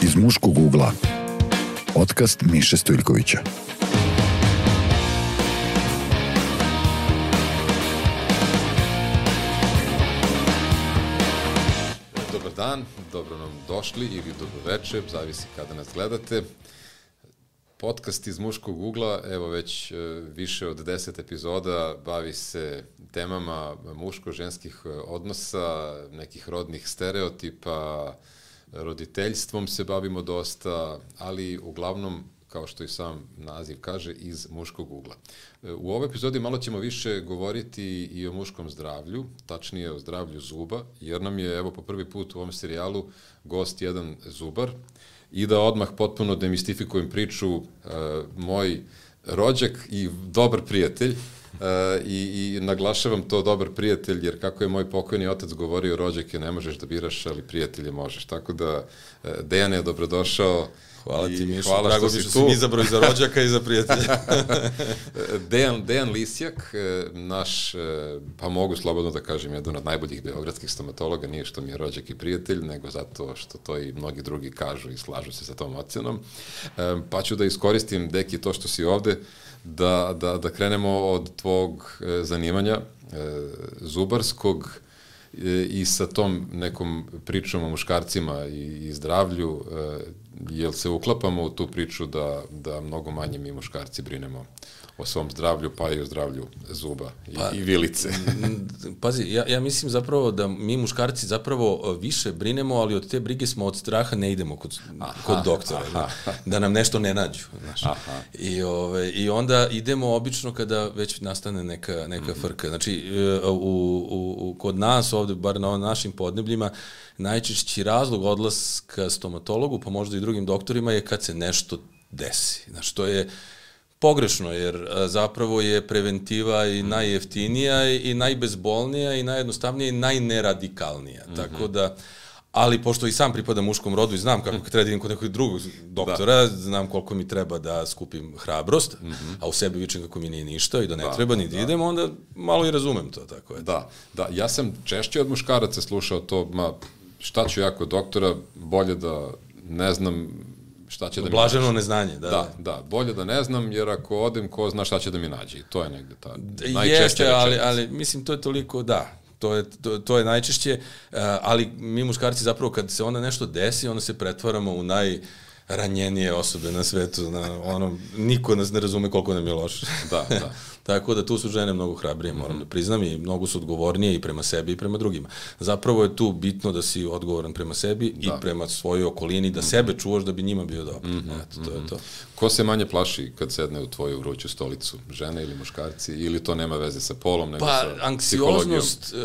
Iz muškog ugla. Podcast Miše Stojljkovića. Dobar dan, dobro nam došli ili dobro večer, zavisi kada nas gledate. Podcast iz muškog ugla, evo već više od 10 epizoda, bavi se temama muško-ženskih odnosa, nekih rodnih stereotipa, roditeljstvom se bavimo dosta, ali uglavnom, kao što i sam naziv kaže, iz muškog ugla. U ovoj epizodi malo ćemo više govoriti i o muškom zdravlju, tačnije o zdravlju zuba, jer nam je, evo, po prvi put u ovom serijalu gost jedan zubar. I da odmah potpuno demistifikujem priču, moj rođak i dobar prijatelj, i naglašavam to dobar prijatelj, jer kako je moj pokojni otac govorio, rođake ne možeš da biraš, ali prijatelje možeš. Tako da, Dejane, dobrodošao. Hvala ti, Mišo, drago mi što si mi izabrao i za rođaka i za prijatelja. Dejan Lisjak, naš, pa mogu slobodno da kažem, jedan od najboljih beogradskih stomatologa, nije što mi je rođak i prijatelj, nego zato što to i mnogi drugi kažu i slažu se sa tom ocenom. Pa ću da iskoristim, Deki, to što si ovde, da krenemo od tvog zanimanja zubarskog i sa tom nekom pričom o muškarcima i zdravlju, jel se uklapamo u tu priču da mnogo manje mi muškarci brinemo o svom zdravlju, pa i o zdravlju zuba i vilice? Pazi, ja mislim zapravo da mi muškarci zapravo više brinemo, ali od te brige smo od straha ne idemo kod doktora, da nam nešto ne nađu. I onda idemo obično kada već nastane neka frka. Znači, kod nas ovde, bar na našim podnebljima, najčešći razlog odlaska stomatologu, pa možda i drugim doktorima, je kad se nešto desi. Znači, to je pogrešno, jer zapravo je preventiva i najjeftinija i najbezbolnija i najjednostavnija i najneradikalnija. Tako da, ali pošto i sam pripadam muškom rodu i znam kako treba da idem kod nekog drugog doktora, znam koliko mi treba da skupim hrabrost, a u sebi vičem kako mi nije ništa i da ne treba ni da idem, onda malo i razumem to. Tako je. Da, ja sam češće od muškaraca slušao to, šta ću ja kod doktora, bolje da ne znam šta će da mi nađe. Blaženo neznanje, da. Da, bolje da ne znam, jer ako odem, ko zna šta će da mi nađe. I to je negde ta najčešća rečenica. Ali mislim, to je toliko, to je najčešće, ali mi muškarci zapravo kad se onda nešto desi, onda se pretvaramo u najranjenije osobe na svetu. Niko nas ne razume koliko nam je loše. Da. Tako da tu su žene mnogo hrabrije, moram da priznam, i mnogo su odgovornije i prema sebi i prema drugima. Zapravo je tu bitno da si odgovoran prema sebi i prema svojoj okolini, da sebe čuvaš da bi njima bio dobro. To je to. Ko se manje plaši kad sedne u tvoju vruću stolicu? Žene ili muškarci? Ili to nema veze sa polom, nego sa psihologijom? Anksioznost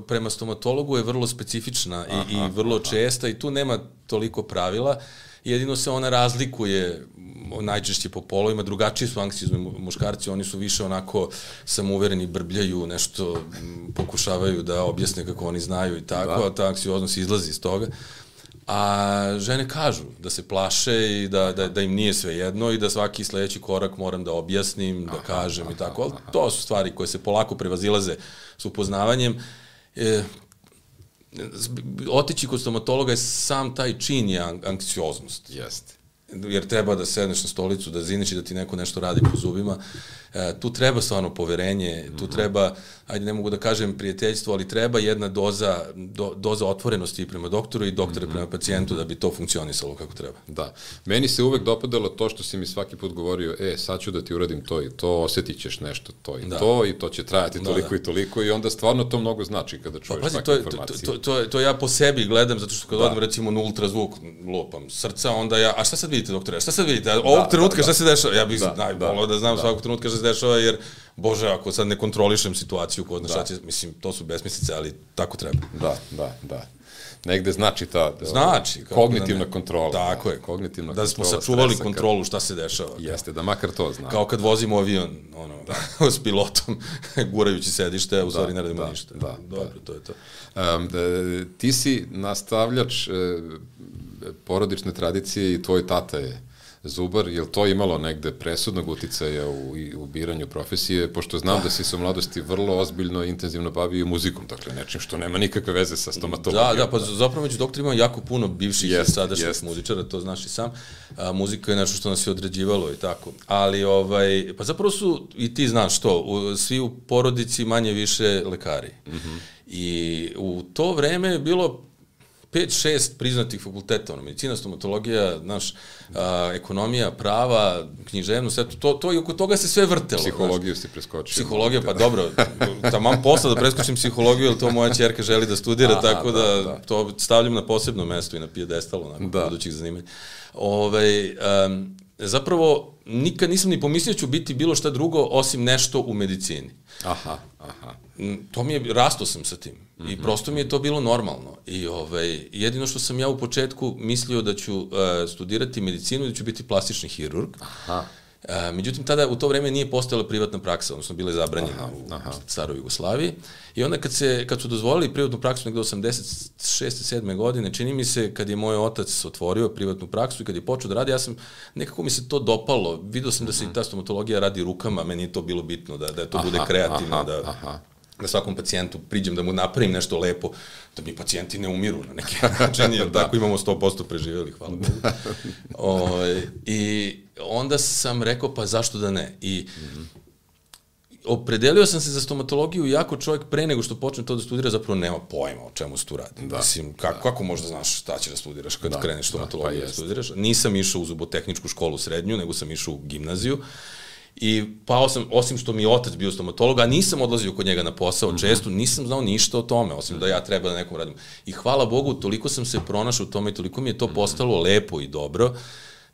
prema stomatologu je vrlo specifična i vrlo česta i tu nema toliko pravila. Jedino se ona razlikuje najčešće po polovima, drugačiji su anksiozni muškarci, oni su više onako samouvereni, brbljaju, nešto pokušavaju da objasne kako oni znaju i tako, a ta anksioznost izlazi iz toga. A žene kažu da se plaše i da im nije sve jedno i da svaki sledeći korak moram da objasnim, da kažem i tako, ali to su stvari koje se polako prevazilaze s upoznavanjem. Otići kod stomatologa je sam taj čin je anksioznost. Jeste. Jer treba da sedneš na stolicu, da ziniš i da ti neko nešto radi po zubima. Tu treba stvarno poverenje, tu treba, ajde ne mogu da kažem prijateljstvo, ali treba jedna doza otvorenosti prema doktoru i doktora prema pacijentu da bi to funkcionisalo kako treba. Da. Meni se uvek dopadalo to što si mi svaki put govorio, sad ću da ti uradim to i to, osjetit ćeš nešto to i to će trajati toliko i toliko i onda stvarno to mnogo znači kada čuješ takve informacije. To ja po sebi gledam, zato što kad odem recimo na ultrazvuk, lupam srca, onda a šta sad vidite doktore, šta sad vidite, ovog trenutka šta se dešava, ja bih najbolio da znam svakog trenutka šta se dešava, jer, Bože, ako sad ne kontrolišem situaciju, ko zna šta će, mislim, to su besmislice, ali tako treba. Da. Negde znači ta kognitivna kontrola. Tako je, da smo sačuvali kontrolu šta se dešava. Jeste, da makar to znamo. Kao kad vozimo avion, s pilotom, gurajući sedište, a u stvari ne radimo ništa. Dobro, to je to. Ti si nastavljač porodične tradicije i tvoj tata je zubar, je li to imalo negde presudnog uticaja u biranju profesije, pošto znam da si se u mladosti vrlo ozbiljno i intenzivno bavio muzikom, dakle nečim što nema nikakve veze sa stomatologijom. Da, pa zapravo među doktorima jako puno bivših i sadašnjih muzičara, to znaš i sam. Muzika je nešto što nas je određivalo i tako. Ali, pa zapravo su, i ti znaš to, svi u porodici manje više lekari. I u to vreme je bilo 5-6 priznatih fakulteta, medicina, stomatologija, ekonomija, prava, književnost, to i oko toga se sve vrtelo. Psihologiju si preskočio. Psihologija, pa dobro, taman posla da preskočim psihologiju, jer to moja ćerka želi da studira, tako da to stavljam na posebno mesto i na pijedestal, onako, budućih zanimanja. Zapravo, nikad nisam ni pomislio ću biti bilo šta drugo, osim nešto u medicini. To mi je, rasto sam sa tim. I prosto mi je to bilo normalno. I jedino što sam ja u početku mislio da ću studirati medicinu i da ću biti plastični hirurg. Međutim, tada u to vreme nije postojala privatna praksa, odnosno bila je zabranjena u staroj Jugoslaviji. I onda kad su dozvolili privatnu praksu negde 86. 7. godine, čini mi se kad je moj otac otvorio privatnu praksu i kad je počeo da radi, nekako mi se to dopalo. Vidio sam da se i ta stomatologija radi rukama, meni je to bilo bitno, da to bude kreativno, da svakom pacijentu priđem, da mu napravim nešto lepo, da mi pacijenti ne umiru na neki način, jer tako imamo 100% preživjeli, hvala Bogu. I onda sam rekao, pa zašto da ne? I opredelio sam se za stomatologiju, iako čovjek pre nego što počne to da studira, zapravo nema pojma o čemu se tu radi. Mislim, kako možda znaš šta će da studiraš kad kreneš stomatologiju da studiraš? Nisam išao u zubotehničku školu srednju, nego sam išao u gimnaziju. I pao sam, osim što mi je otac bio stomatolog, a nisam odlazio kod njega na posao često, nisam znao ništa o tome, osim da ja treba da nekom radim. I hvala Bogu, toliko sam se pronašao u tome i toliko mi je to postalo lepo i dobro,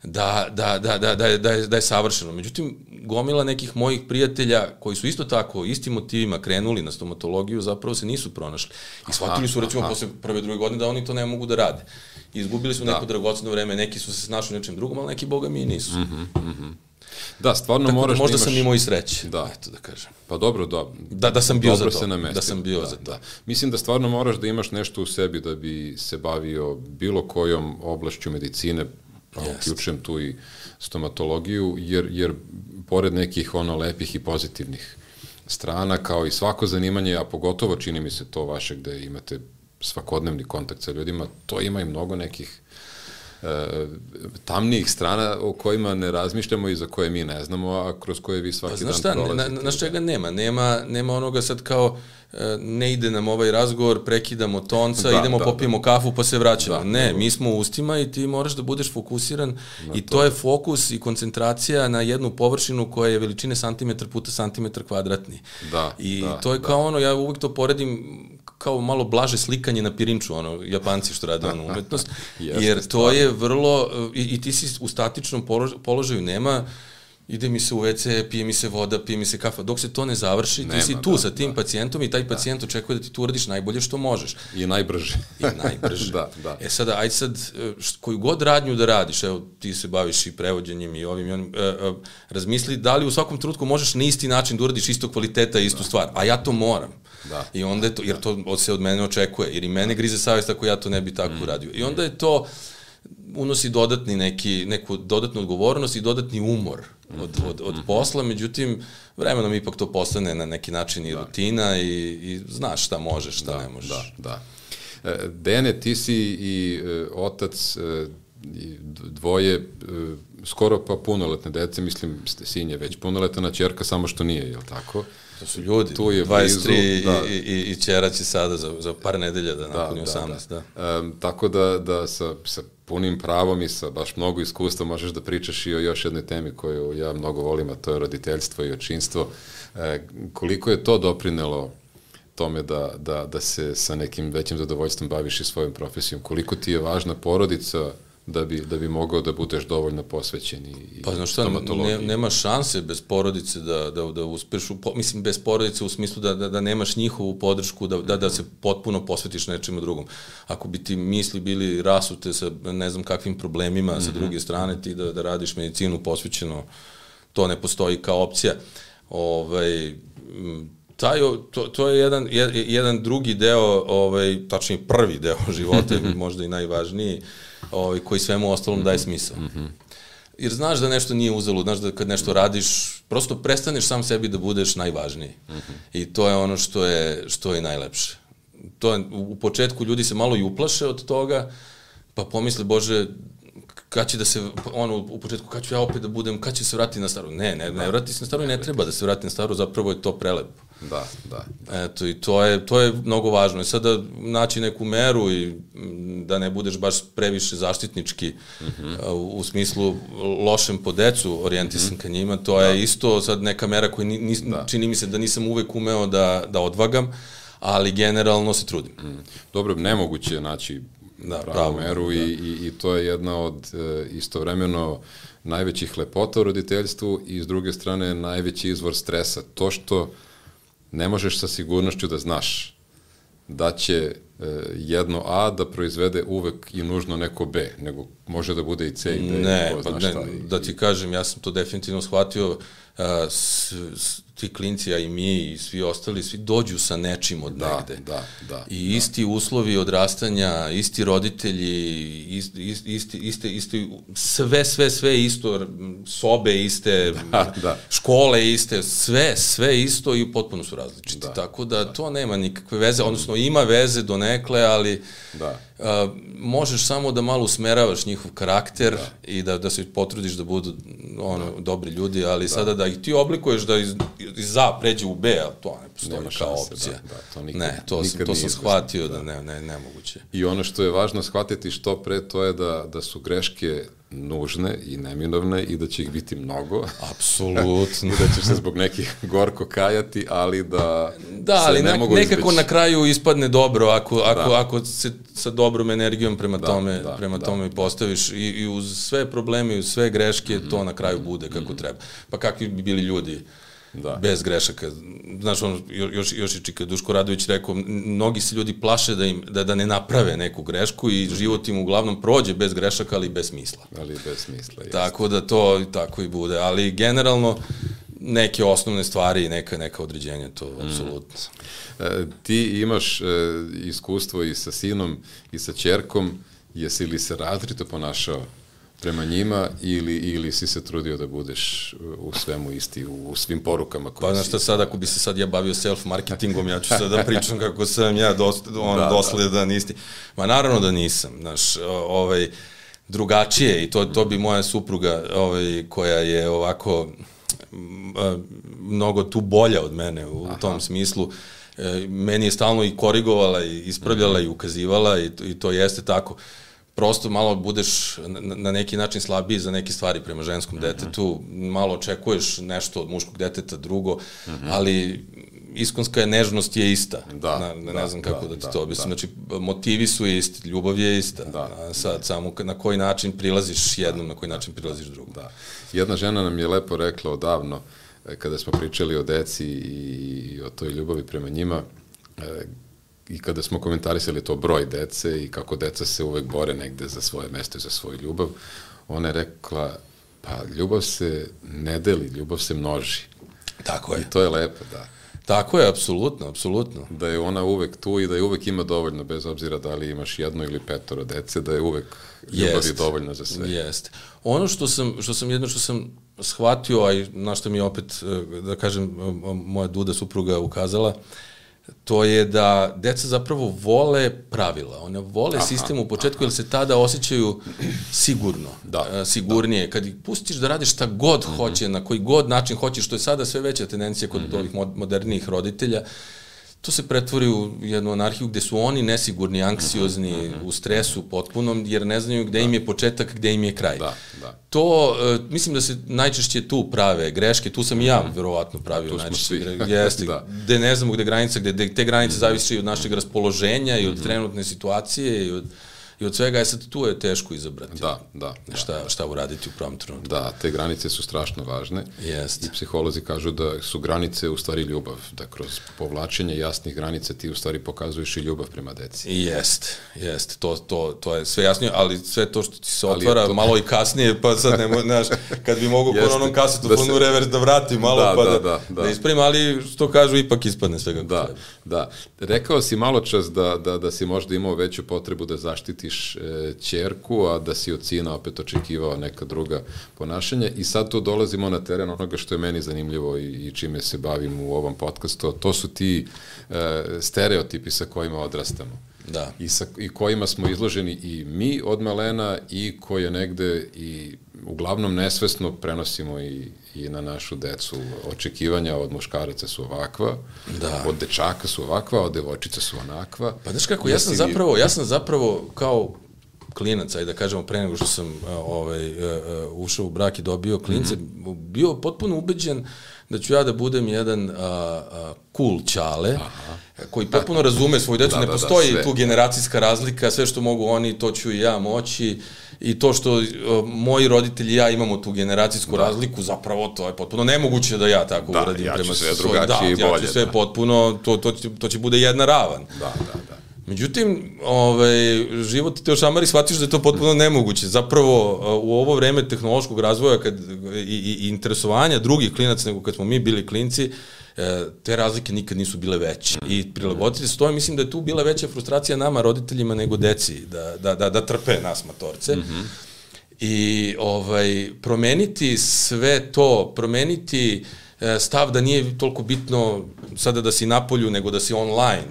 da je savršeno. Međutim, gomila nekih mojih prijatelja koji su isto tako, istim motivima krenuli na stomatologiju, zapravo se nisu pronašli. I shvatili su, recimo, posle prve, druge godine da oni to ne mogu da rade. I izgubili su neko dragoceno vreme, neki su se snašli u nečem drugom, ali neki, boga mi, nisu. Da, stvarno moraš da imaš... Možda sam imao i sreće, eto da kažem. Pa dobro, da sam bio za to. Da sam bio za to. Mislim da stvarno moraš da imaš nešto u sebi da bi se bavio bilo kojom oblašću medicine, uključujem tu i stomatologiju, jer pored nekih lepih i pozitivnih strana, kao i svako zanimanje, a pogotovo čini mi se to vaše gde imate svakodnevni kontakt sa ljudima, to ima i mnogo nekih tamnijih strana o kojima ne razmišljamo i za koje mi ne znamo, a kroz koje vi svaki dan prolazite. Znaš čega nema onoga sad kao ne ide nam ovaj razgovor, prekidamo tonca, idemo popijemo kafu pa se vraćamo. Ne, mi smo u ustima i ti moraš da budeš fokusiran i to je fokus i koncentracija na jednu površinu koja je veličine santimetar puta santimetar kvadratni. I to je kao ja uvijek to poredim kao malo blaže slikanje na pirinču, Japanci što rade umetnost, jer to je vrlo, i ti si u statičnom položaju, nema, ide mi se u WC, pije mi se voda, pije mi se kafa, dok se to ne završi, ti si tu sa tim pacijentom i taj pacijent očekuje da ti tu uradiš najbolje što možeš. I najbrže. Sada, aj sad, koju god radnju da radiš, evo, ti se baviš i prevođenjem i ovim i onim, razmisli da li u svakom trenutku možeš na isti način da uradiš isto kvaliteta i istu stvar, a ja to moram. I onda je to, jer to se od mene očekuje, jer i mene grize savjest ako ja to ne bi tako uradio. I onda je to, unosi neku dodatnu odgovornost i dodatni umor od posla, međutim, vremenom ipak to postane na neki način i rutina i znaš šta možeš, šta ne možeš. Dene, ti si i otac dvoje skoro pa punoletne dece, mislim, sin je već punoletna, ćerka samo što nije, je li tako? To su ljudi, 23 i ćera će sada za par nedelja da napuni 18. Tako da sa punim pravom i sa baš mnogo iskustva možeš da pričaš i o još jednoj temi koju ja mnogo volim, a to je roditeljstvo i očinstvo. Koliko je to doprinelo tome da se sa nekim većim zadovoljstvom baviš i svojom profesijom? Koliko ti je važna porodica da bi mogao da budeš dovoljno posvećen i stomatologiji? Nema šanse bez porodice da uspeš, mislim bez porodice u smislu da nemaš njihovu podršku, da se potpuno posvetiš nečemu drugom. Ako bi ti misli bili rasute sa ne znam kakvim problemima sa druge strane, ti da radiš medicinu posvećeno, to ne postoji kao opcija. To je jedan drugi deo, tačnije prvi deo života, možda i najvažniji, koji svemu ostalom daje smisao. jer znaš da nešto nije uzalud, znaš da kad nešto radiš, prosto prestaneš sam sebi da budeš najvažniji. I to je ono što je najlepše. To je, u početku ljudi se malo i uplaše od toga, pa pomisle, Bože, kad će da se, u početku, kad ću ja opet da budem, kad će se vratiti na staru? Ne vrati se na staru i ne treba da se vrati na staru, zapravo je to prelepo. Da. Eto, i to je mnogo važno. I sada naći neku meru i da ne budeš baš previše zaštitnički u smislu lošem po decu orijentisan ka njima, to je isto sad neka mera koju čini mi se da nisam uvek umeo da odvagam, ali generalno se trudim. Dobro, nemoguće je naći pravu meru i to je jedna od istovremeno najvećih lepota u roditeljstvu i s druge strane najveći izvor stresa. To što ne možeš sa sigurnošću da znaš da će jedno A da proizvede uvek i nužno neko B, nego može da bude i C i D. Ne, da ti kažem, ja sam to definitivno shvatio, ti klinci, a i mi i svi ostali, svi dođu sa nečim od negde. I isti uslovi odrastanja, isti roditelji, isti sve isto, sobe iste, škole iste, sve isto i potpuno su različiti. Tako da to nema nikakve veze, odnosno ima veze donekle, ali možeš samo da malo usmeravaš njihov karakter i da se potrudiš da budu dobri ljudi, ali sada da ih ti oblikuješ da iz A pređe u B, a to ne postoji kao opcija. To sam shvatio da nemoguće. I ono što je važno shvatiti što pre, to je da su greške nužne i neminovne i da će ih biti mnogo. Apsolutno. I da ćeš se zbog nekih gorko kajati, ali da ali nekako na kraju ispadne dobro ako se sa dobrom energijom prema tome postaviš i uz sve probleme i uz sve greške to na kraju bude kako treba. Pa kakvi bi bili ljudi bez grešaka. Znaš, još je Čika Duško Radović rekao, mnogi se ljudi plaše da ne naprave neku grešku i život im uglavnom prođe bez grešaka, ali bez smisla. Tako da to tako i bude. Ali generalno neke osnovne stvari i neka određenja, to apsolutno. Ti imaš iskustvo i sa sinom i sa ćerkom, jesi li se različito ponašao prema njima ili si se trudio da budeš u svemu isti, u svim porukama koje znaš šta sad, ako bi se sad ja bavio self-marketingom, ja ću sad da pričam kako sam ja dosledan isti. Ma naravno da nisam, znaš, drugačije i to bi moja supruga koja je ovako mnogo tu bolja od mene u tom smislu, meni je stalno i korigovala i ispravljala i ukazivala i to jeste tako. Prosto malo budeš na neki način slabiji za neke stvari prema ženskom detetu, malo očekuješ nešto od muškog deteta drugo, ali iskonska nežnost je ista. Ne znam kako da ti to objasnim. Znači, motivi su isti, ljubav je ista. Sad, samo na koji način prilaziš jednom, na koji način prilaziš drugom. Jedna žena nam je lepo rekla odavno, kada smo pričali o deci i o toj ljubavi prema njima, i kada smo komentarisali to broj dece i kako deca se uvek bore negde za svoje mesto i za svoju ljubav, ona je rekla, pa ljubav se ne deli, ljubav se množi. Tako je. I to je lepo, Tako je, apsolutno. Da je ona uvek tu i da je uvek ima dovoljno, bez obzira da li imaš 1 ili 5 dece, da je uvek ljubavi dovoljno za sve. Jeste. Ono što sam shvatio, a i na što mi je opet, da kažem, moja Duda supruga ukazala, to je da deca zapravo vole pravila. One vole sistem u početku, jer se tada osjećaju sigurno, sigurnije. Kad ih pustiš da radiš šta god hoće, na koji god način hoće, što je sada sve veća tendencija kod ovih modernijih roditelja, to se pretvori u jednu anarhiju gde su oni nesigurni, anksiozni, u stresu potpunom, jer ne znaju gde im je početak, gde im je kraj. To, mislim da se najčešće tu prave greške, tu sam i ja verovatno pravio najčešće greške, gde ne znamo gde granica, gde te granice zavisi i od našeg raspoloženja i od trenutne situacije i od svega, sad tu je teško izabrati. Šta uraditi u pravom trenutku. Te granice su strašno važne. I psiholozi kažu da su granice u stvari ljubav, da kroz povlačenje jasnih granica ti u stvari pokazuješ i ljubav prema deci. Jeste, to je sve jasnije, ali sve to što ti se otvara malo i kasnije, pa sad ne znaš, kad bi mogu po onom kasetofonu revers da vrati malo, pa da ispravim, ali što kažu, ipak ispadne svega. Rekao si malo čas da si možda imao veću potrebu da zaštitiš prihvatiš ćerku, a da si od sina opet očekivao neka druga ponašanja i sad tu dolazimo na teren onoga što je meni zanimljivo i čime se bavim u ovom podcastu, to su ti stereotipi sa kojima odrastamo. Da. I kojima smo izloženi i mi od malena i koje negde i uglavnom nesvesno prenosimo i na našu decu. Očekivanja od muškaraca su ovakva, od dečaka su ovakva, od devojčica su onakva. Pa znaš kako, ja sam zapravo kao klinac, ajde da kažemo, pre nego što sam ušao u brak i dobio klince, bio potpuno ubeđen da ću ja da budem jedan cool ćale, koji potpuno razume svoju decu, ne postoji tu generacijska razlika, sve što mogu oni, to ću i ja moći, i to što moji roditelji i ja imamo tu generacijsku razliku, zapravo to je potpuno nemoguće da ja tako uradim. Ja ću sve drugačije i bolje. Ja ću sve potpuno, to će bude jedna ravan. Da. Međutim, život te ošamari, shvatiš da je to potpuno nemoguće. Zapravo, u ovo vreme tehnološkog razvoja i interesovanja drugih klinaca nego kad smo mi bili klinci, te razlike nikad nisu bile veće. I prilagoditi se to, mislim da je tu bila veća frustracija nama, roditeljima, nego deci, da trpe nas matorce. I promeniti sve to, promeniti stav da nije toliko bitno sada da si napolju nego da si online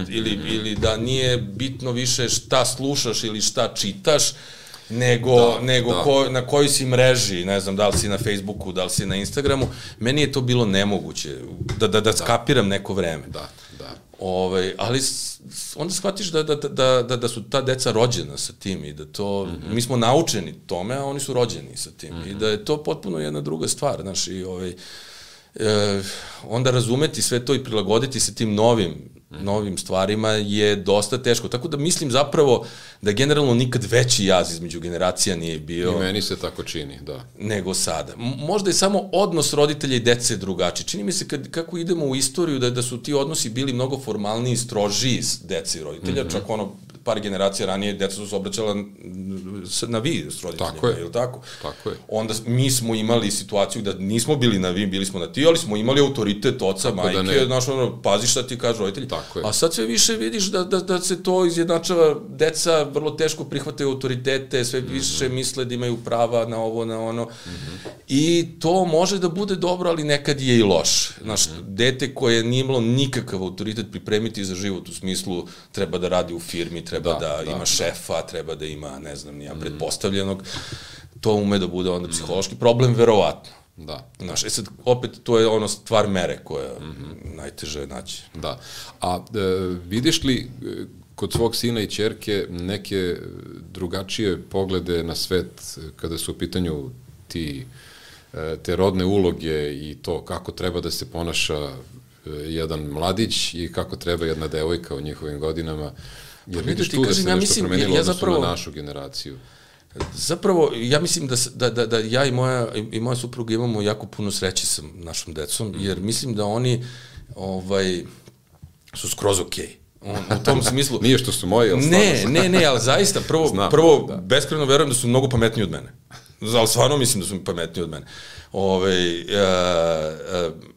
ili da nije bitno više šta slušaš ili šta čitaš nego na kojoj si mreži, ne znam, da li si na Facebooku, da li si na Instagramu. Meni je to bilo nemoguće da skapiram neko vreme. Ali onda shvatiš da su ta deca rođena sa tim i da to, mi smo naučeni tome, a oni su rođeni sa tim i da je to potpuno jedna druga stvar, znaš, i onda razumeti sve to i prilagoditi se tim novim stvarima je dosta teško. Tako da mislim zapravo da generalno nikad veći jaz između generacija nije bio. I meni se tako čini, da. Nego sada. Možda je samo odnos roditelja i dece drugačiji. Čini mi se kako idemo u istoriju da su ti odnosi bili mnogo formalniji, strožiji s dece i roditelja, čak par generacija ranije deca su se obraćala na vi s roditeljima, je li tako? Tako je. Onda mi smo imali situaciju da nismo bili na vi, bili smo na ti, ali smo imali autoritet oca, majke, znaš, pazi šta ti kaže roditelji. A sad sve više vidiš da se to izjednačava, deca vrlo teško prihvataju autoritete, sve više misle da imaju prava na ovo, na ono. I to može da bude dobro, ali nekad je i loš. Znaš, dete koje nije imalo nikakav autoritet pripremiti za život, u smislu treba da radi u firmi, treba da ima šefa, treba da ima, ne znam, nija pretpostavljenog, to ume da bude onda psihološki problem, verovatno. Da. Znaš, sad, opet, to je ono stvar mere koja najteže je naći. Da. A vidiš li kod svog sina i ćerke neke drugačije poglede na svet kada su u pitanju te rodne uloge i to kako treba da se ponaša jedan mladić i kako treba jedna devojka u njihovim godinama? Jer vidiš tu da se nešto promenilo odnosno na našu generaciju. Zapravo, ja mislim da ja i moja supruga imamo jako puno sreće sa našom decom, jer mislim da oni su skroz okej. U tom smislu... Nije što su moji, ali stvarno... Ne, ali zaista, prvo beskreno verujem da su mnogo pametniji od mene. Ali stvarno mislim da su pametniji od mene.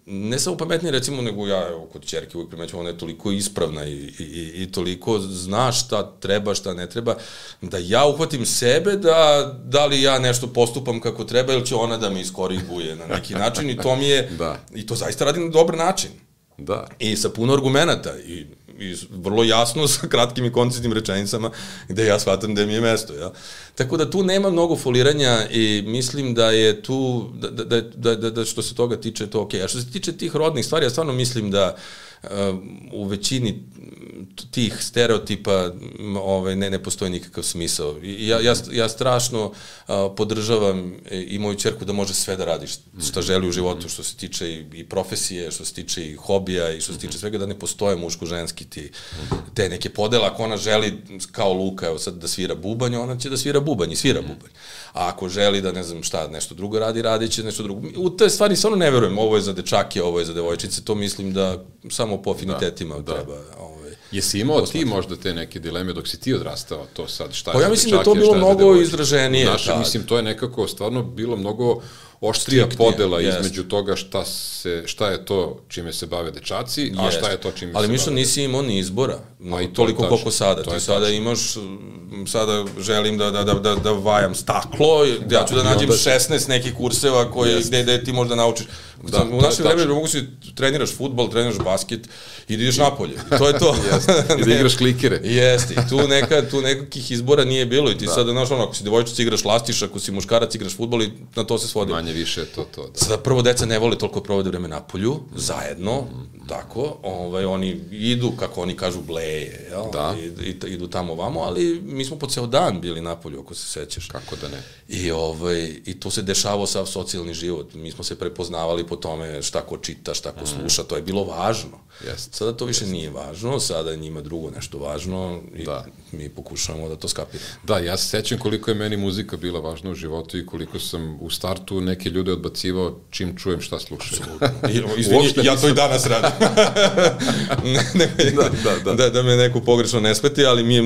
Ne samo pametniji, recimo, nego ja kod ćerke uvijek primećujem, ona je toliko ispravna i toliko zna šta treba, šta ne treba, da ja uhvatim sebe da li ja nešto postupam kako treba ili će ona da me iskoriguje na neki način i to mi je, i to zaista radi na dobar način. Da. I sa puno argumenata i vrlo jasno sa kratkim i koncisnim rečenicama gde ja shvatam gde mi je mesto. Ja? Tako da tu nema mnogo foliranja i mislim da je tu, da što se toga tiče to okej. A što se tiče tih rodnih stvari, ja stvarno mislim da u većini tih stereotipa ne postoji nikakav smisao. Ja strašno podržavam i moju ćerku da može sve da radi šta želi u životu, što se tiče i profesije, što se tiče i hobija i što se tiče svega, da ne postoje muško-ženski te neke podela. Ako ona želi kao Luka, evo sad da svira bubanj, ona će da svira bubanj i svira bubanj. A ako želi da ne znam šta, nešto drugo radi, radit će nešto drugo. U te stvari stvarno ne verujem, ovo je za dečake, ovo je za devojčice, to mislim da samo po afinitetima treba... Jesi imao ti možda te neke dileme dok si ti odrastao, to sad šta je za dečake, šta je za devojčice? Ja mislim da je to bilo mnogo izraženije. Mislim, to je nekako stvarno bilo mnogo oštrija podela između toga šta je to čime se bave dečaci, a šta je to čime se bave. Ali Mišo, nisi imao ni izbora, toliko koliko sada. Ti sada imaš, sada želim da vajam staklo, ja ću da nađem 16 nekih kurseva gde ti možda naučiš. U našem vremenu mogu si treniraš fudbal, treniraš basket i da ideš napolje. To je to. I da igraš klikere. Jeste. I tu nekakih izbora nije bilo. I ti sada, znaš, ako si devojčica igraš lastiš, ako si muškarac igraš fudbal i na to se svodi. Manje više je to. Da. Sada prvo deca ne vole toliko provode vreme napolju, zajedno, tako, oni idu, kako oni kažu, bleje, jel? Da. Idu tamo vamo, ali mi smo po ceo dan bili napolju, ako se sećaš. Kako da ne. I tu se dešavao sav socijalni život. Mi smo se prepoznavali po tome šta ko čita, šta ko sluša, to je bilo važno. Sada to više nije važno, sada je njima drugo nešto važno i mi pokušavamo da to skapiramo. Da, ja se sećam koliko je meni muzika bila važna u životu i koliko sam u startu neke ljude odbacivao čim čujem šta slušaju. Izvini, ja to i danas radim. Da me neko pogrešno ne shvati, ali mi je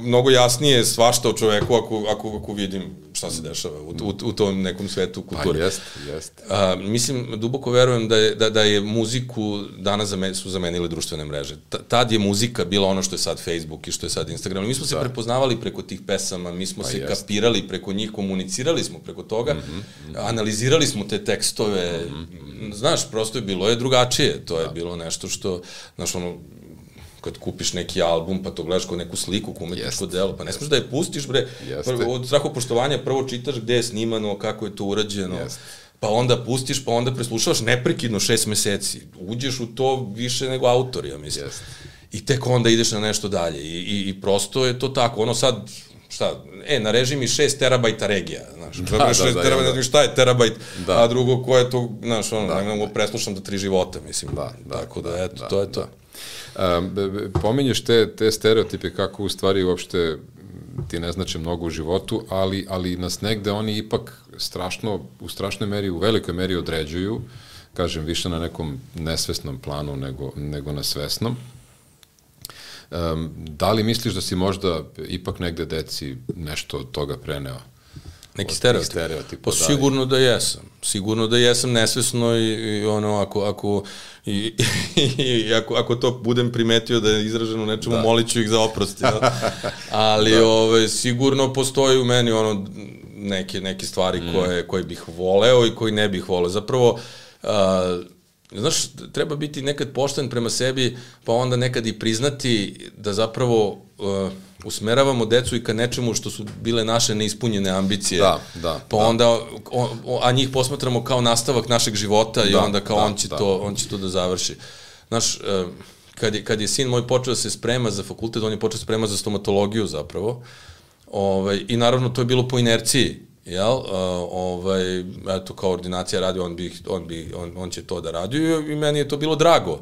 mnogo jasnije svašta o čoveku ako vidim šta se dešava u tom nekom svetu kulture. Pa jest. Mislim, duboko verujem da je muziku danas su zamenile društvene mreže. Tad je muzika bila ono što je sad Facebook i što je sad Instagram. Mi smo se prepoznavali preko tih pesama, mi smo se kapirali preko njih, komunicirali smo preko toga, analizirali smo te tekstove. Znaš, prosto je bilo drugačije. To je bilo nešto što, znaš, ono, kad kupiš neki album, pa to gledaš kao neku sliku, kao umetničko delo, pa ne smiješ da je pustiš, bre, od strahopoštovanja prvo čitaš gde je snimano, kako je to urađeno, pa onda pustiš, pa onda preslušavaš neprekidno 6 meseci. Uđeš u to više nego autor, ja mislim. I tek onda ideš na nešto dalje. I prosto je to tako. Ono sad, nareži mi 6 terabajta regija, znaš. 6 terabajta, šta je terabajt, a drugo, ko je to, znaš, ono, ne mogu preslušam do 3 života, mislim. Tako da, eto, to je to. Pominješ te stereotipe kako u stvari uopšte ti ne znače mnogo u životu, ali nas negde oni ipak u strašnoj meri, u velikoj meri određuju, kažem, više na nekom nesvesnom planu nego na svesnom. Da li misliš da si možda ipak negde deci nešto od toga preneo? Neki stereotip? Pa sigurno da jesam. Sigurno da jesam nesvesno i ono, ako to budem primetio da je izraženo nečemu, molit ću ih za oprost. Ali sigurno postoji u meni ono neke stvari koje bih voleo i koje ne bih voleo. Zapravo, znaš, treba biti nekad pošten prema sebi, pa onda nekad i priznati da zapravo usmeravamo decu i ka nečemu što su bile naše neispunjene ambicije. Pa onda, a njih posmatramo kao nastavak našeg života i onda kao on će to da završi. Znaš, kad je sin moj počeo da se sprema za fakultet, on je počeo da se sprema za stomatologiju zapravo. I naravno to je bilo po inerciji. Eto, kao ordinacija radi, on će to da radi i meni je to bilo drago.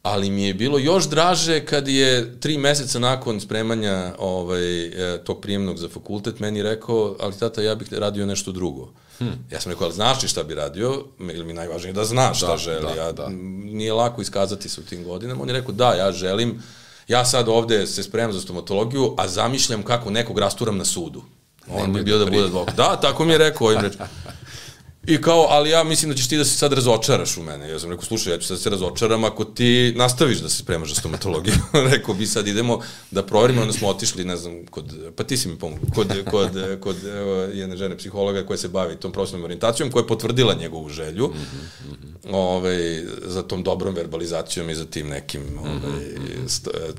Ali mi je bilo još draže kad je 3 meseca nakon spremanja tog prijemnog za fakultet meni rekao, ali tata, ja bih radio nešto drugo. Ja sam rekao, ali znaš li šta bi radio? Ili mi najvažnije da znaš šta želi. Nije lako iskazati se u tim godinama. On je rekao, da, ja želim, ja sad ovde se spremam za stomatologiju, a zamišljam kako nekog rasturam na sudu. On bi bio da bude advokat. Da, tako mi je rekao ovim rečima. I kao, ali ja mislim da ćeš ti da se sad razočaraš u mene. Ja sam rekao, slušaj, ja ću sad da se razočaram ako ti nastaviš da se spremaš za stomatologiju. Rekao, bi sad idemo da proverimo, onda smo otišli, ne znam, pa ti si mi pomogao, kod jedne žene psihologa koja se bavi tom profesionalnom orijentacijom, koja je potvrdila njegovu želju za tom dobrom verbalizacijom i za tim nekim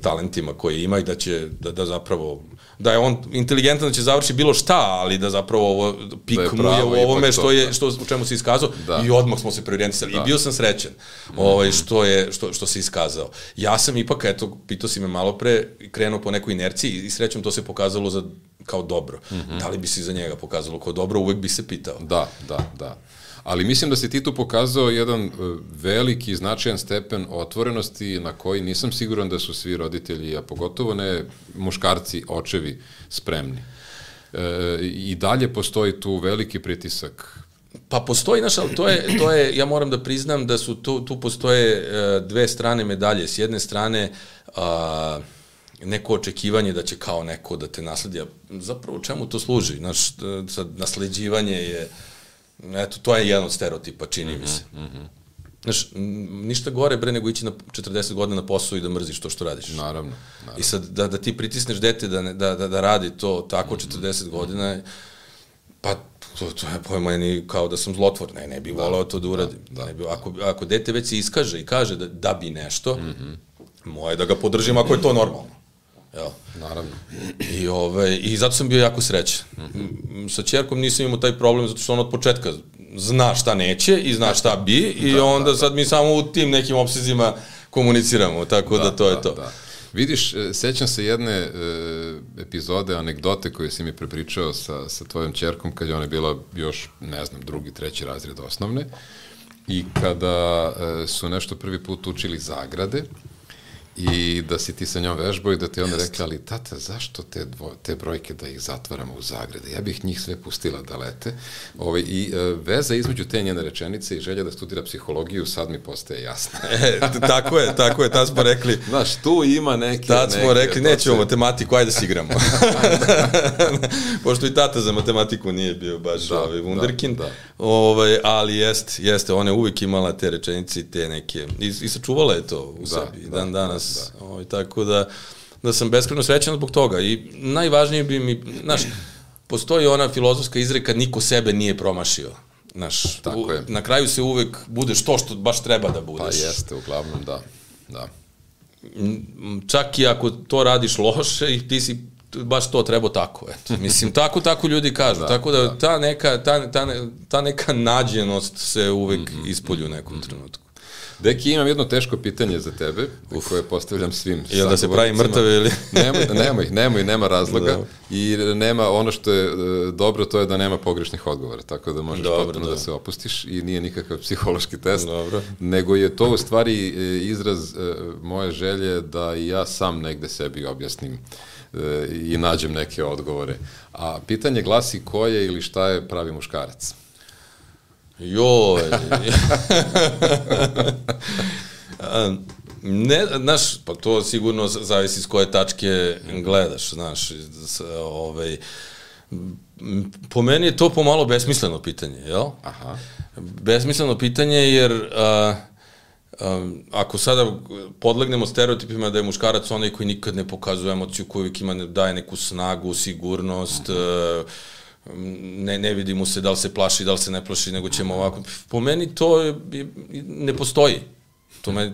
talentima koje ima i da će, da zapravo, da je on inteligentan da će završi bilo šta, ali da zapravo ovo pik mu je u ovome u čemu se iskazao i odmah smo se preorijentisali. I bio sam srećen što se iskazao. Ja sam ipak, eto, pitao si me malo pre, krenuo po nekoj inerciji i srećom to se pokazalo kao dobro. Da li bi se za njega pokazalo kao dobro, uvek bi se pitao. Da. Ali mislim da si ti tu pokazao jedan veliki, značajan stepen otvorenosti na koji nisam siguran da su svi roditelji, a pogotovo ne muškarci, očevi, spremni. I dalje postoji tu veliki pritisak. Pa postoji, znaš, ali to je, ja moram da priznam da su tu postoje dve strane medalje. S jedne strane, neko očekivanje da će kao neko da te nasledi, a zapravo čemu to služi? Znaš, sad nasleđivanje je, Eto, to je jedan od stereotipa, čini mi se. Znaš, ništa gore bre nego ići na 40 godina na posao i da mrziš to što radiš. Naravno. I sad da ti pritisneš dete da radi to tako 40 godina, pa to je po meni kao da sam zlotvor, ne bi volao to da uradim. Ako dete već se iskaže i kaže da bi nešto, moje da ga podržim ako je to normalno. Jel? Naravno. I zato sam bio jako srećan. Sa ćerkom nisam imao taj problem zato što on od početka zna šta neće i zna šta bi i onda sad mi samo u tim nekim opsezima komuniciramo, tako da to je to. Vidiš, sećam se jedne epizode, anegdote koje si mi prepričao sa tvojom ćerkom kad je ona bila još, ne znam, 2., 3. razred osnovne i kada su nešto prvi put učili zagrade i da si ti sa njom vežbao i da ti onda rekla, ali tata, zašto te brojke da ih zatvaramo u zagrade? Ja bih njih sve pustila da lete. I veza između te njene rečenice i želja da studira psihologiju sad mi postaje jasna. Tako je, tad smo rekli. Znaš, tu ima neke... Tad smo rekli, nećemo matematiku, ajde da se igramo. Pošto i tata za matematiku nije bio baš wunderkind, ali jeste, ona je uvijek imala te rečenice i te neke, i sačuvala je to u sebi, dan danas. Tako da sam beskrajno srećan zbog toga i najvažnije bi mi, znaš, postoji ona filozofska izreka niko sebe nije promašio. Znaš, na kraju se uvek budeš to što baš treba da budeš. Pa jeste, uglavnom, da. Čak i ako to radiš loše i ti si baš to trebao tako, eto. Mislim, tako ljudi kažu, tako da ta neka nađenost se uvek ispolju u nekom trenutku. Deki, imam jedno teško pitanje za tebe, koje postavljam svim sagovornicima. Jel da se pravi mrtave ili? Nemoj, nema razloga i nema, ono što je dobro, to je da nema pogrešnih odgovora, tako da možeš potpuno da se opustiš i nije nikakav psihološki test, nego je to u stvari izraz moje želje da i ja sam negde sebi objasnim i nađem neke odgovore. A pitanje glasi ko je ili šta je pravi muškarac? Joj. Ne, znaš, pa to sigurno zavisi s koje tačke gledaš, znaš, po meni je to pomalo besmisleno pitanje, jel? Aha. Besmisleno pitanje jer ako sada podlegnemo stereotipima da je muškarac onaj koji nikad ne pokazuje emociju, koji uvijek daje neku snagu, sigurnost, ne vidi mu se da li se plaši, da li se ne plaši, nego ćemo ovako. Po meni to ne postoji.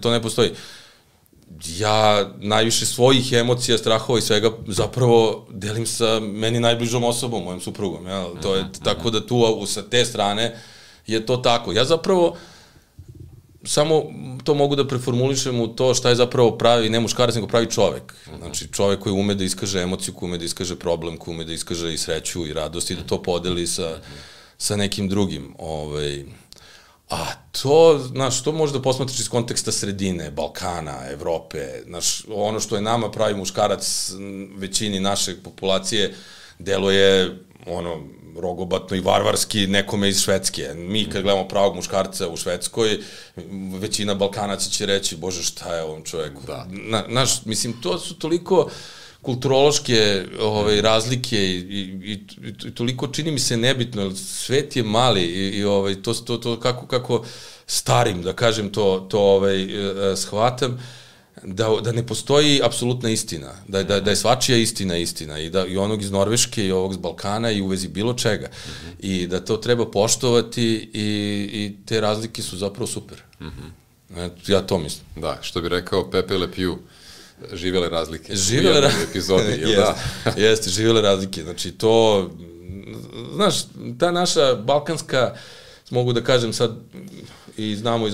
To ne postoji. Ja najviše svojih emocija, strahova i svega zapravo delim sa meni najbližom osobom, mojom suprugom. Tako da tu sa te strane je to tako. Ja zapravo samo to mogu da preformulišem u to šta je zapravo pravi, ne muškarac, nego pravi čovek. Znači, čovek koji ume da iskaže emociju, koji ume da iskaže problem, koji ume da iskaže i sreću i radost i da to podeli sa nekim drugim. A to, znaš, to možeš da posmatraš iz konteksta sredine, Balkana, Evrope, znaš, ono što je nama pravi muškarac većini naše populacije deluje, rogobatno i varvarski nekome iz Švedske. Mi kad gledamo pravog muškarca u Švedskoj, većina Balkanaca će reći, bože, šta je ovom čoveku? Znaš, mislim, to su toliko kulturološke razlike i toliko čini mi se nebitno, jer svet je mali i to kako starim, da kažem, to shvatam, da ne postoji apsolutna istina, da je svačija istina i onog iz Norveške i ovog iz Balkana i u vezi bilo čega i da to treba poštovati i te razlike su zapravo super. Ja to mislim. Da, što bi rekao Pepe Le Pew, živele razlike. Živele razlike. Jeste, živele razlike. Znači to, znaš, ta naša balkanska, mogu da kažem sad, i znamo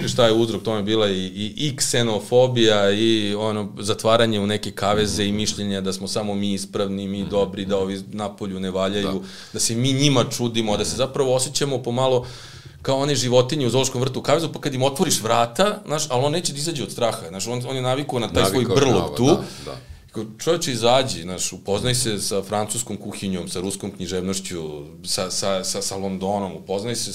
šta je uzrok tome bila i ksenofobija i zatvaranje u neke kaveze i mišljenja da smo samo mi ispravni, mi dobri, da ovi napolju ne valjaju, da se mi njima čudimo, da se zapravo osjećamo pomalo kao one životinje u zoološkom vrtu u kavezu, pa kad im otvoriš vrata, znaš, ali on neće da izađe od straha, znaš, on je navikao na taj svoj brlog tu. Čovječe, izađi, znaš, upoznaj se sa francuskom kuhinjom, sa ruskom književnošću, sa Londonom, upoznaj se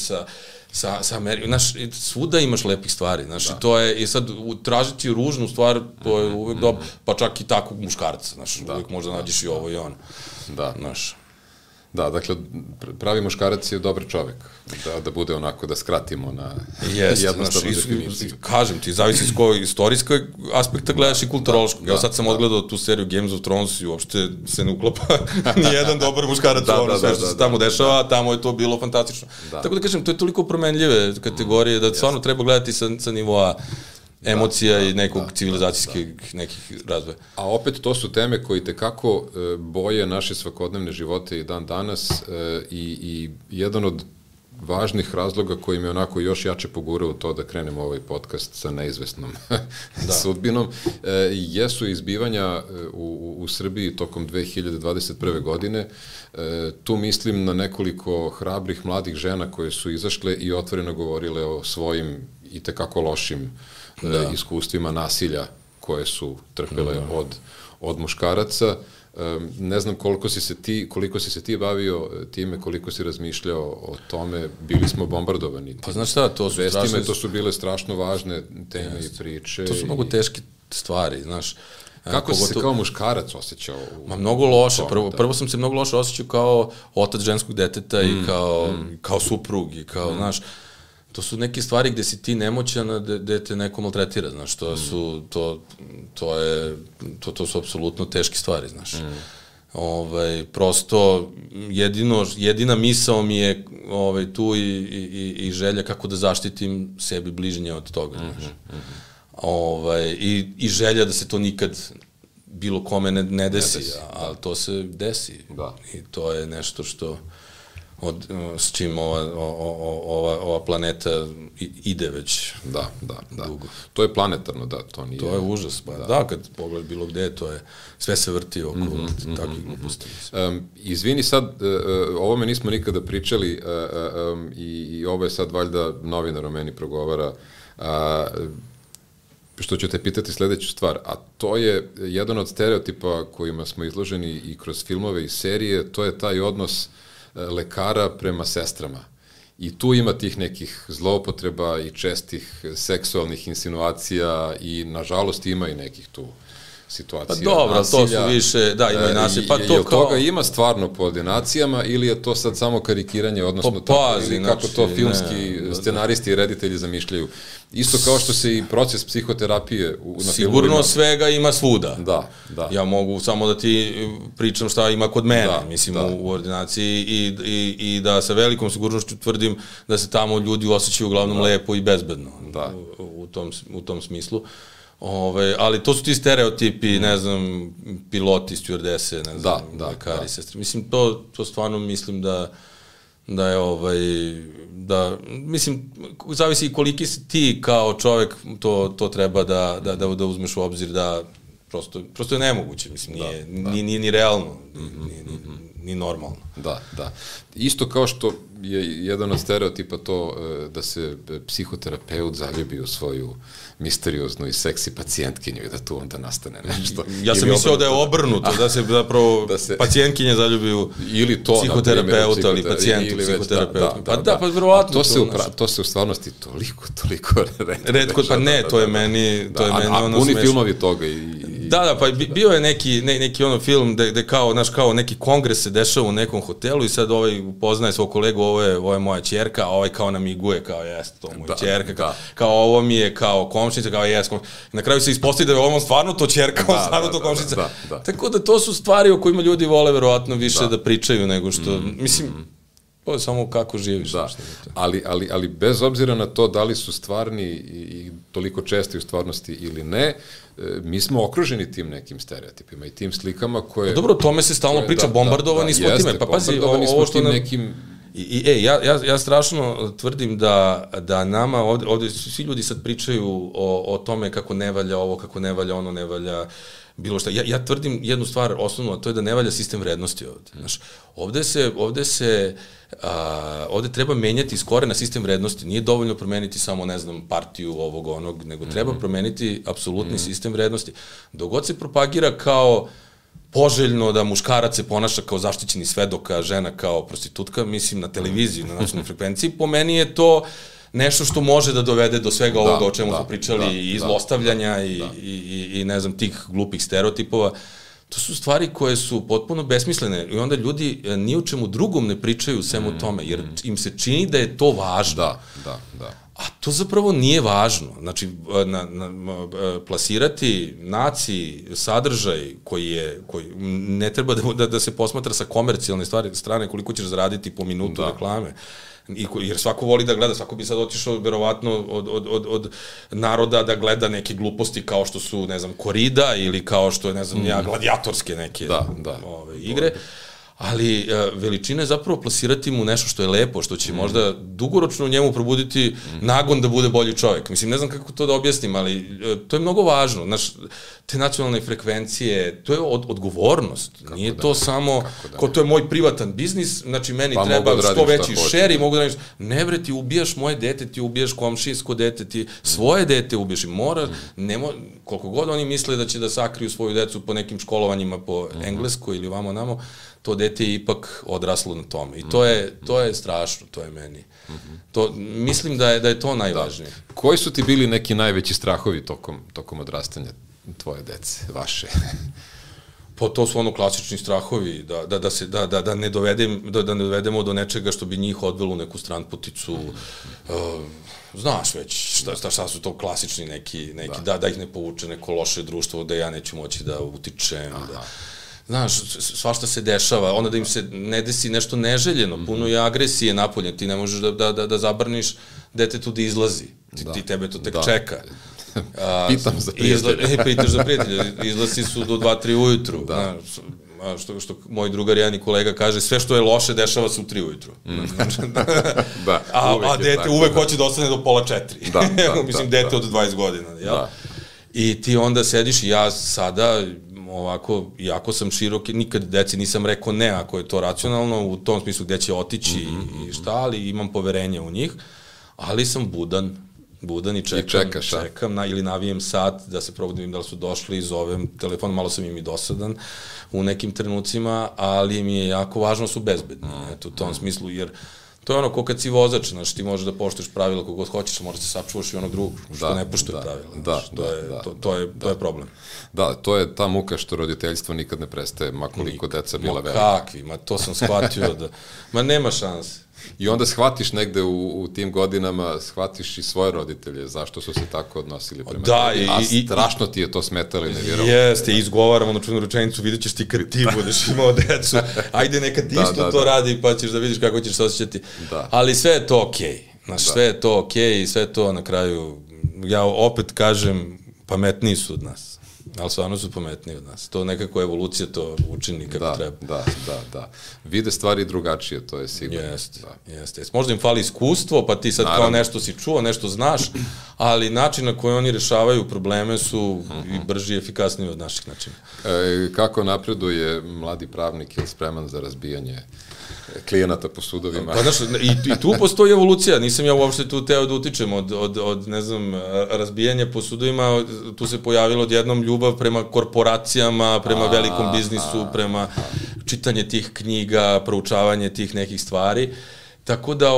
sa Amerikom, znaš, svuda imaš lepih stvari, znaš, i to je, i sad, tražiti ružnu stvar, to je uvek dobro, pa čak i takvog muškarca, znaš, uvek možda nađeš i ovo i ono, znaš. Da, dakle, pravi muškarac je dobar čovek, da bude onako, da skratimo na jednostavnu definiciju. Kažem ti, zavisi iz kojeg istorijskog aspekta gledaš i kulturološkog. Evo sad sam odgledao tu seriju Games of Thrones i uopšte se ne uklapa nijedan dobar muškarac u ono sve što se tamo dešava, tamo je to bilo fantastično. Tako da kažem, to je toliko promenljive kategorije da stvarno treba gledati sa nivoa emocija i nekog civilizacijskih nekih razvoja. A opet to su teme koji tekako boje naše svakodnevne živote i dan danas i jedan od važnih razloga koji me onako još jače pogurao u to da krenemo ovaj podcast sa neizvesnom sudbinom, jesu izbivanja u Srbiji tokom 2021. godine. Tu mislim na nekoliko hrabrih mladih žena koje su izašle i otvoreno govorile o svojim i tekako lošim iskustvima nasilja koje su trpele od muškaraca. Ne znam koliko si se ti bavio time, koliko si razmišljao o tome, bili smo bombardovani. Pa znaš šta, to su bile strašno važne teme i priče. To su mnogo teške stvari, znaš. Kako si se kao muškarac osjećao? Mnogo loše. Prvo sam se mnogo loše osjećao kao otac ženskog deteta i kao suprug i kao, znaš, to su neke stvari gde si ti nemoćan, gde te neko maltretira, znaš, to su apsolutno teške stvari, znaš. Prosto, jedina misao mi je tu i želja kako da zaštitim sebi bližnje od toga, znaš. I želja da se to nikad bilo kome ne desi, ali to se desi. I to je nešto što s čim ova planeta ide već dugo. To je planetarno, da, to nije... To je užas, pa da, kad pogled bilo gde, to je, sve se vrti oko takvih gluposti. Izvini sad, o ovome nismo nikada pričali i ovo je sad valjda novinar o meni progovara, što ću te pitati sledeću stvar, a to je jedan od stereotipa kojima smo izloženi i kroz filmove i serije, to je taj odnos lekara prema sestrama. I tu ima tih nekih zloupotreba i čestih seksualnih insinuacija i nažalost ima i nekih tu situacija nasilja. Pa dobro, to su više, da, ima i nasilje. Pa to kao... toga ima stvarno po ordinacijama ili je to sad samo karikiranje, odnosno kako to filmski scenaristi i reditelji zamišljaju? Isto kao što se i proces psihoterapije na filmovima... Sigurno svega ima svuda. Da. Ja mogu samo da ti pričam šta ima kod mene, mislim, u ordinaciji i da sa velikom sigurnošću tvrdim da se tamo ljudi osjećaju uglavnom lepo i bezbedno u tom smislu. Ali to su ti stereotipi, ne znam, piloti, stjuardese, ne znam, lekari, sestre. Mislim, to stvarno mislim da je mislim, zavisi i koliki si ti kao čovek, to treba da uzmeš u obzir da prosto je nemoguće, mislim, nije ni realno, ni normalno. Da. Isto kao što je jedan od stereotipa to da se psihoterapeut zaljubi u svoju misterioznu i seksi pacijentkinju i da tu onda nastane nešto. Ja sam mislio da je obrnuto, da se zapravo pacijentkinje zaljubi u psihoterapeuta ili pacijent u psihoterapeuta. Pa verovatno. To se u stvarnosti toliko redko. Pa ne, to je meni ono smešno. Puni filmovi toga i... Da, pa bio je neki ono film gde kao neki kongres se dešava u nekom hotelu i sad upoznaje svog kolegu, ovo je moja ćerka, a ovaj kao namiguje, kao jeste to moja ćerka, kao ovo mi je kao komšnica, kao jes. Na kraju se ispostavi da je ovo stvarno to ćerka, ovo stvarno to komšnica. Tako da to su stvari o kojima ljudi vole verovatno više da pričaju nego što, mislim, to je samo kako živiš. Ali bez obzira na to da li su stvarni i toliko česti u stvarnosti ili ne, mi smo okruženi tim nekim stereotipima i tim slikama koje... Dobro, o tome se stalno priča, bombardovani smo time. Pa pazi, ovo što nam... Ja strašno tvrdim da nama ovde svi ljudi sad pričaju o tome kako ne valja ovo, kako ne valja ono, ne valja bilo šta. Ja tvrdim jednu stvar osnovnu, a to je da ne valja sistem vrednosti ovde. Znaš, ovde treba menjati iz korena sistem vrednosti. Nije dovoljno promeniti samo, ne znam, partiju ovog onog, nego treba promeniti apsolutni sistem vrednosti. Dok god se propagira kao poželjno da muškarac se ponaša kao zaštićeni svedok, a žena kao prostitutka, mislim, na televiziji, na nacionalnoj frekvenciji, po meni je to nešto što može da dovede do svega ovoga o čemu smo pričali, i zlostavljanja i ne znam, tih glupih stereotipova. To su stvari koje su potpuno besmislene i onda ljudi ni o čemu drugom ne pričaju svemu tome, jer im se čini da je to važno. Da. A to zapravo nije važno. Znači, plasirati naciji sadržaj koji ne treba da se posmatra sa komercijalne strane koliko ćeš zaraditi po minutu reklame. Jer svako voli da gleda, svako bi sad otišao verovatno od naroda da gleda neke gluposti kao što su, ne znam, korida ili kao što je, ne znam, gladijatorske neke igre. Ali veličina je zapravo plasirati mu nešto što je lepo, što će možda dugoročno u njemu probuditi nagon da bude bolji čovjek. Mislim, ne znam kako to da objasnim, ali to je mnogo važno. Znaš, te nacionalne frekvencije, to je odgovornost. Nije to samo, ko to je moj privatan biznis, znači meni treba što veći šer i mogu da radiš. Ne bre, ti ubijaš moje dete, ti ubijaš komšijsko dete, ti svoje dete ubijaš i mora, koliko god oni misle da će da sakriju svoju decu po nekim školovanjima po Engleskoj ili vamo namo, to dete je ipak odraslo na tome. I to je strašno, to je meni. Mislim da je to najvažnije. Koji su ti bili neki najveći strahovi tokom odrastanja tvoje dece, vaše? Pa to su klasični strahovi, da ne dovedemo do nečega što bi njih odvelo u neku stranputicu, znaš već šta su to klasični neki da ih ne povuče neko loše društvo, da ja neću moći da utičem, znaš, svašta se dešava, onda da im se ne desi nešto neželjeno, puno je agresije napolje, ti ne možeš da zabraniš detetu da izlazi, ti tebe to tek čeka. Pitam za prijatelja. Pitaš za prijatelja, izlazi su do 2-3 ujutru, što moj drugar jedan i kolega kaže, sve što je loše dešava se u 3 ujutru. A dete uvek hoće da ostane do pola 4. Mislim, dete od 20 godina. I ti onda sediš i ja sada ovako, jako sam širok, nikad deci nisam rekao ne ako je to racionalno, u tom smislu gde će otići i šta, ali imam poverenje u njih, ali sam budan i čekam ili navijem sat da se probudim da li su došli, zovem telefon, malo sam im i dosadan u nekim trenucima, ali mi je jako važno da su bezbedni, u tom smislu, jer to je ko kad si vozač, znaš, ti možeš da poštuješ pravila kogod hoćeš, možeš da sačuvaš i onog drugog što ne poštuje pravila. To je problem. Da, to je ta muka što roditeljstvo nikad ne prestaje, makoliko deca bila velika. Kakvi, to sam shvatio da nema šanse. I onda shvatiš negde u tim godinama, shvatiš i svoje roditelje, zašto su se tako odnosili prema tebi, a strašno ti je to smetalo i nevjerovno. Jeste, izgovaram onu čuvenu rečenicu, vidjet ćeš ti kad ti budeš imao decu, ajde neka ti isto to radi pa ćeš da vidiš kako ćeš se osjećati. Ali sve je to okej, sve je to okej i sve je to na kraju, ja opet kažem, pametniji su od nas. Ali stvarno su pametniji od nas. To nekako evolucija to učini kako treba. Da. Vide stvari drugačije, to je sigurno. Jeste. Možda im fali iskustvo, pa ti sad kao nešto si čuo, nešto znaš, ali način na koji oni rešavaju probleme su i brži i efikasniji od naših načina. Kako napreduje mladi pravnik ili spreman za razbijanje klijenata po sudovima? Pa znaš, i tu postoji evolucija, nisam ja uopšte tu teo da utičem od ne znam, razbijanja po sudovima, tu se pojavilo odjednom ljubav prema korporacijama, prema velikom biznisu, prema čitanje tih knjiga, proučavanje tih nekih stvari, tako da,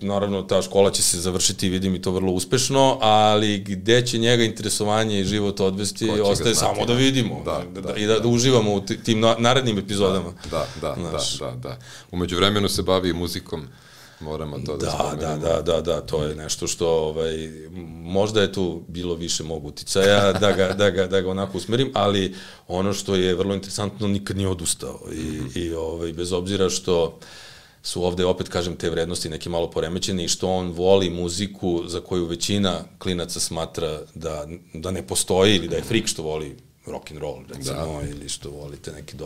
naravno, ta škola će se završiti, vidim i to vrlo uspešno, ali gde će njega interesovanje i život odvesti, ostaje samo da vidimo i da uživamo u tim narednim epizodama. Da. Umeđu vremenu se bavi i muzikom, moramo to da spomenemo. Da, to je nešto što, možda je tu bilo više mog uticaja da ga onako usmerim, ali ono što je vrlo interesantno, nikad nije odustao i bez obzira što su ovde, opet kažem, te vrednosti neke malo poremećene i što on voli muziku za koju većina klinaca smatra da ne postoji ili da je frik što voli rock and roll, recimo, ili što volite neke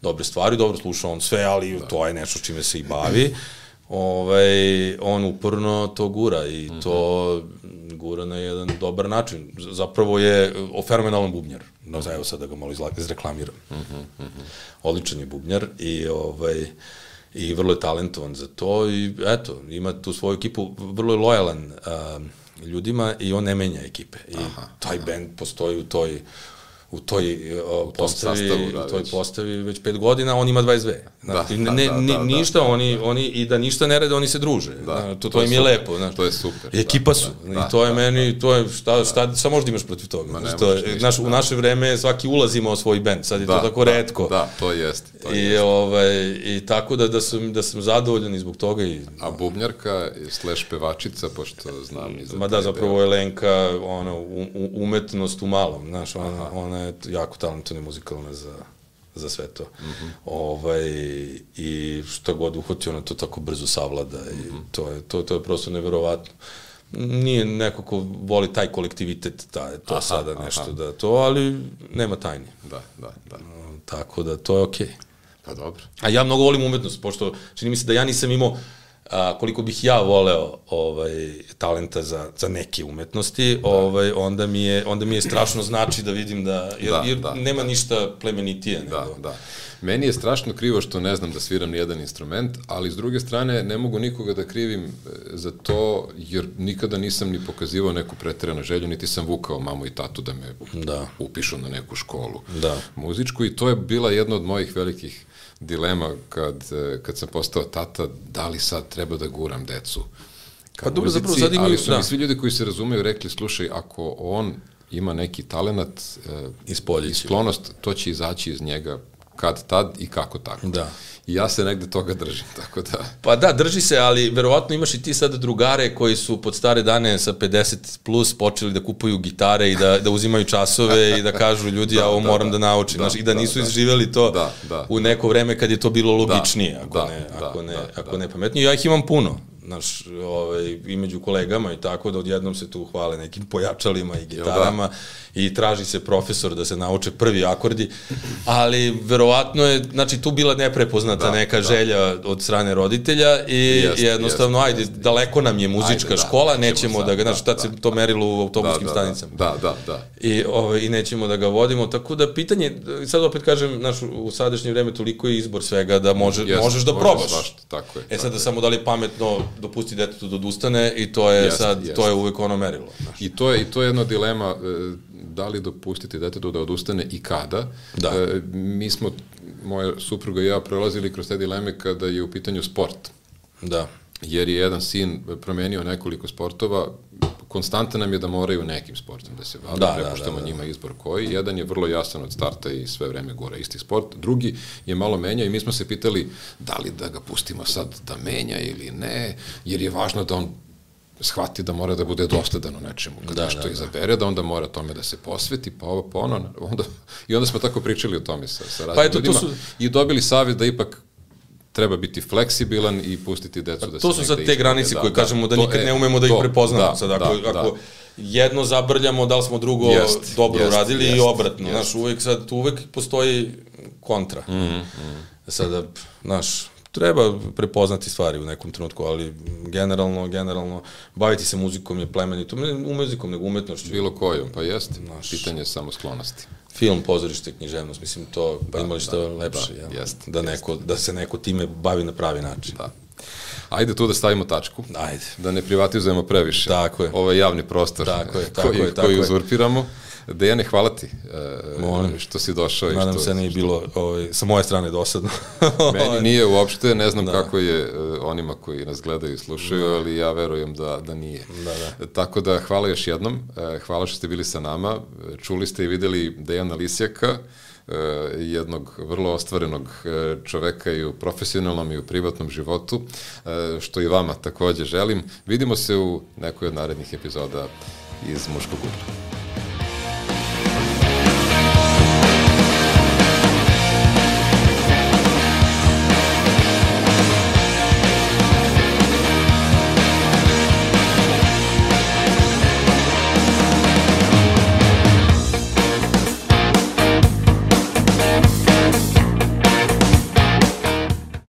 dobre stvari, dobro sluša on sve, ali to je nešto čime se i bavi. On uporno to gura i to gura na jedan dobar način. Zapravo je fenomenalan bubnjar. Evo sad da ga malo izreklamiram. Odličan je bubnjar i vrlo je talentovan za to i eto, ima tu svoju ekipu, vrlo je lojalan ljudima i on ne menja ekipe. I taj band postoji u toj postavi već 5 godina, on ima 22. Znači, ništa, oni i da ništa ne rade, oni se druže. To im je lepo. To je super. Ekipa su. I to je meni, to je šta možda imaš protiv toga. U naše vreme svaki ulaz imao svoj bend, sad je to tako retko. Da, to jeste. I tako da sam zadovoljan i zbog toga. A bubnjarka / pevačica, pošto znam i za Ma da, zapravo je Lenka umetnost u malom, znaš, ona je jako talentovna i muzikalna za sve to. I što god uhoti, ona to tako brzo savlada i to je prosto neverovatno. Nije neko ko voli taj kolektivitet, to sada nešto da to, ali nema tajni. Da. Tako da to je okej. Pa dobro. A ja mnogo volim umetnost, pošto čini mi se da ja nisam imao koliko bih ja voleo talenta za neke umetnosti, onda mi je strašno znači da vidim jer nema ništa plemenitije. Da. Meni je strašno krivo što ne znam da sviram nijedan instrument, ali s druge strane ne mogu nikoga da krivim za to, jer nikada nisam ni pokazivao neku preteranu želju, niti sam vukao mamu i tatu da me upišu na neku školu muzičku, i to je bila jedna od mojih velikih dilema kad sam postao tata, da li sad treba da guram decu ka muzici, ali su mi svi ljudi koji se razumeju rekli, slušaj, ako on ima neki talenat i sklonost, to će izaći iz njega kad tad i kako tako. I ja se negde toga držim, tako da... Pa da, drži se, ali verovatno imaš i ti sad drugare koji su pod stare dane sa 50 plus počeli da kupuju gitare i da uzimaju časove i da kažu ljudi, ja ovo moram da naučim, i da nisu izživjeli to u neko vreme kad je to bilo logičnije, ako ne pametnije. Ja ih imam puno, znaš, i među kolegama i tako, da odjednom se tu hvale nekim pojačalima i gitarama i traži se profesor da se nauče prvi akordi, ali verovatno je, znači, tu bila neprepoznata neka želja od strane roditelja i jednostavno, ajde, daleko nam je muzička škola, nećemo da ga, znači, tad se to merilo u autobuskim stanicama. I nećemo da ga vodimo, tako da pitanje, sad opet kažem, znaš, u sadašnje vreme toliko je izbor svega da možeš da probaš. Sad da samo da li je pametno dopusti detetu da odustane i to je sad, to je uvek ono merilo. I to je jedna dilema, da li dopustiti detetu da odustane i kada. Mi smo, moja supruga i ja, prolazili kroz te dileme kada je u pitanju sport. Jer je jedan sin promenio nekoliko sportova, konstanta nam je da moraju nekim sportom da se bave, prepuštamo njima izbor koji. Jedan je vrlo jasan od starta i sve vreme gura isti sport, drugi je malo menja i mi smo se pitali da li da ga pustimo sad da menja ili ne, jer je važno da on shvati da mora da bude dosledan u nečemu. Kada nešto izabere, da onda mora tome da se posveti, pa ovo, pa ono. I onda smo tako pričali o tome sa raznim ljudima i dobili savjet da ipak treba biti fleksibilan i pustiti decu da se... To su sad te granice koje kažemo da nikad ne umemo da ih prepoznamo. Sad, ako jedno zabrljamo, da li smo drugo dobro uradili i obratno. Znaš, uvek postoji kontra. Sada, znaš, treba prepoznati stvari u nekom trenutku, ali generalno, baviti se muzikom je plemenito, ne muzikom, nego umetnošću. Bilo kojom, pa jeste. Pitanje je samo sklonosti. Film, pozorište, književnost, mislim, to imali što lepše, da se neko time bavi na pravi način. Ajde tu da stavimo tačku, da ne privatizujemo previše ovaj javni prostor koji uzurpiramo. Dejane, hvala ti što si došao. Nadam se nije bilo sa moje strane dosadno. Meni nije uopšte, ne znam kako je onima koji nas gledaju i slušaju, ali ja verujem da nije. Tako da hvala još jednom, hvala što ste bili sa nama, čuli ste i videli Dejana Lisjaka, jednog vrlo ostvarenog čoveka i u profesionalnom i u privatnom životu, što i vama takođe želim. Vidimo se u nekoj od narednih epizoda iz Muškog ugla.